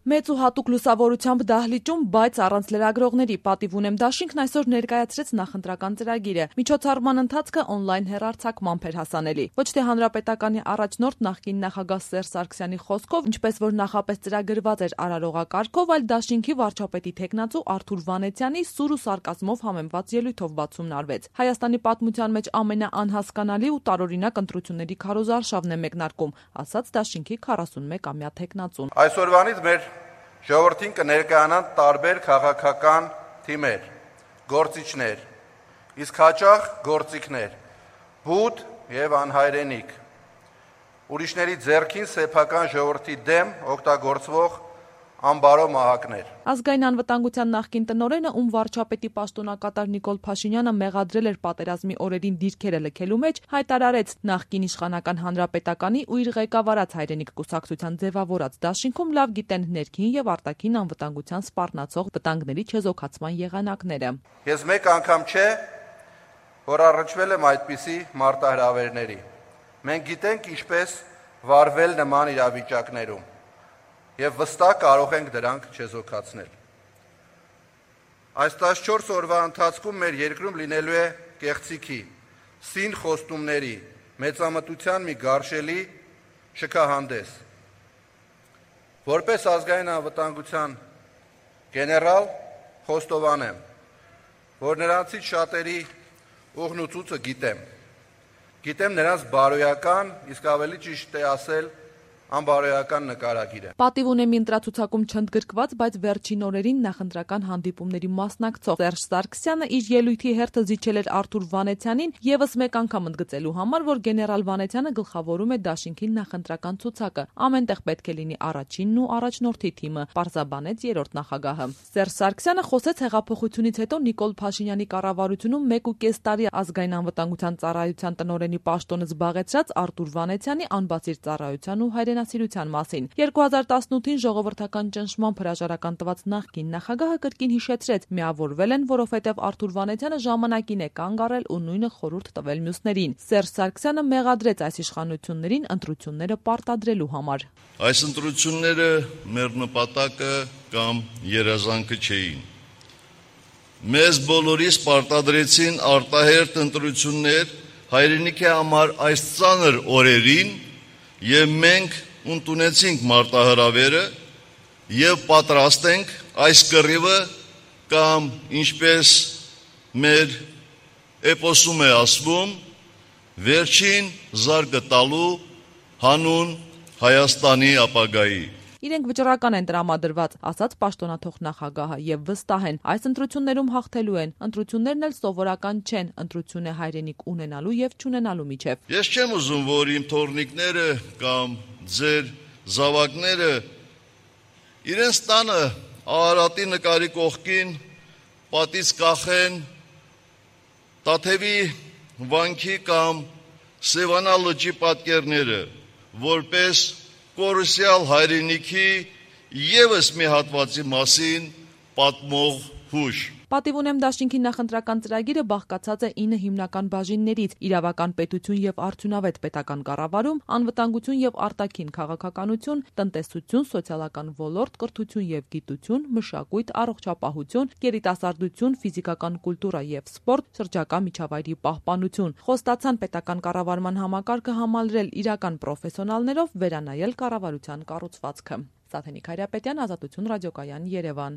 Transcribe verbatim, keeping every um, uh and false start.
Մեծ ու հատուկ լուսավորությամբ դահլիճում, բայց առանց լրագրողների, պատիվ ունեմ դաշինքն այսօր ներկայացրեց նախընտրական ծրագիրը։ Միջոցառման ընթացքը օնլայն հեռարձակմամբ էր հասանելի։ Ոչ թե հանրապետականի առաջնորդ նախկին նախագահ Սերժ Սարգսյանի խոսքով, ինչպես որ նախապես ծրագրված էր արարողակարգով, այլ դաշինքի վարչապետի թեկնածու Արթուր Վանեցյանի սուր ու սարկազմով համեմված ելույթով բացումն արվեց։ Հայաստանի պատմության մեջ ամենաանհասկանալի ու տարօրինակ ընտրությունների քարոզարշավն է մեկնարկում, ասաց դաշինքի քառասունմեկամյա թեկնածուն։ Այսօրվանից մեր ժողովրդին կներկայանան տարբեր քաղաքական թիմեր, գործիչներ, իսկ հաճախ գործիքներ, բութ եւ անհայրենիք, ուրիշների ձեռքին սեփական ժողովրդի դեմ օգտագործվող անբարո մահակներ։ Ազգային անվտանգության նախկին տնօրենը, ում վարչապետի պաշտոնակատար Նիկոլ Փաշինյանը մեղադրել էր պատերազմի օրերին դիրքերը լքելու մեջ, հայտարարեց նախկին իշխանական հանրապետականի ու իր ղեկավարած Հայրենիք կուսակցության ձևավորած դաշինքում լավ գիտեն ներքին եւ արտաքին անվտանգության սպառնացող վտանգների չեզոքացման եղանակները։ Ես մեկ անգամ չէ, որ առնչվել եմ այդպիսի մարտահրավերների։ Մենք գիտենք ինչպես վարվել նման իրավիճակներում եւ վստահ կարող ենք դրանք չեզոքացնել։ Այս տասնչորս օրվա ընթացքում մեր երկրում լինելու է կեղծիքի, սին խոստումների, մեծամտության մի գարշելի շքահանդես։ Որպես ազգային անվտանգության գեներալ խոստովանեմ, որ նրանցից շատերի ուղն ու ծուծը գիտեմ։ Գիտեմ նրանց բարոյական, իսկ ավելի ճիշտ է ասել, անբարոյական նկարագիրը։ Պատիվ ունեմի ընտրացուցակում չընդգրկված, բայց վերջին օրերին նախընտրական հանդիպումների մասնակցող Սերժ Սարգսյանը իր ելույթի հերթը զիջել էր Արթուր Վանեցյանին եւս մեկ անգամ ընդգծելու համար, որ գեներալ Վանեցյանը գլխավորում է դաշինքի նախընտրական ցուցակը։ Ամենտեղ պետք է լինի առաջինն ու առաջնորդի թիմը, պարզաբանեց երրորդ նախագահը։ Սերժ Սարգսյանը խոսեց հեղափոխությունից հետո Նիկոլ Փաշինյանի կառավարությունում մեկ ու կես տարի ազգային անվտանգության ծառայության տնօրենի պաշտոնը զբաղեցրած Արթուր Վանեցյանի անբացիր ծառայության ու հայրենասիրության մասին։ երկու հազար տասնութին ժողովրդական ճնշման հրաժարական տված նախկին նախագահը կրկին հիշեցրեց, միավորվել են, որովհետև Արթուր Վանեցյանը ժամանակին է կանգ առել ու նույնը խորհուրդ տվել մյուսներին։ Սերժ Սարգսյանը մեղադրեց այս իշխանություններին ընտրությունները պարտադրելու համար։ Այս ընտրությունները մեր նպատակը կամ երազանքը չէին։ Մեզ բոլորիս պարտադրեցին արտահերթ ընտրություններ հայրենիքի համար այս ծանր օրերին եւ մենք ընդունեցինք մարտահրավերը եւ պատրաստ ենք այս կռիվը կամ ինչպես մեր էպոսում է ասվում վերջին զարգը տալու հանուն Հայաստանի ապագայի։ Իրենք վճռական են տրամադրված, ասաց պաշտոնաթող նախագահը, եւ վստահ են, այս ընտրություններում հաղթելու են։ Ընտրություններն էլ սովորական չեն, ընտրություն է հայրենիք ունենալու եւ չունենալու միջեւ։ Ես չեմ ուզում, որ իմ թորնիկները կամ ձեր զավակները իրենց տանը Արարատի նկարի կողքին պատից կախեն Տաթևի վանքի կամ Սևանա լճի պատկերները, որպես կորուսյալ հայրենիքի եւս մի հատվածի մասին պատմող հուշ։ Պատիվ ունեմ դաշինքի նախընտրական ծրագիրը բաղկացած է ինը հիմնական բաժիններից՝ իրավական պետություն եւ արդյունավետ պետական կառավարում, անվտանգություն եւ արտաքին քաղաքականություն, տնտեսություն, սոցիալական ոլորտ, կրթություն եւ գիտություն, մշակույթ, առողջապահություն, երիտասարդություն, ֆիզիկական կուլտուրա եւ սպորտ, շրջակա միջավայրի պահպանություն։ Խոստացան պետական կառավարման համակարգը համալրել իրական պրոֆեսիոնալներով, վերանայել կառավարության կառուցվածքը։ Սաթենիկ Հայրապետյան, Ազատություն ռադիոկայան, Երևան։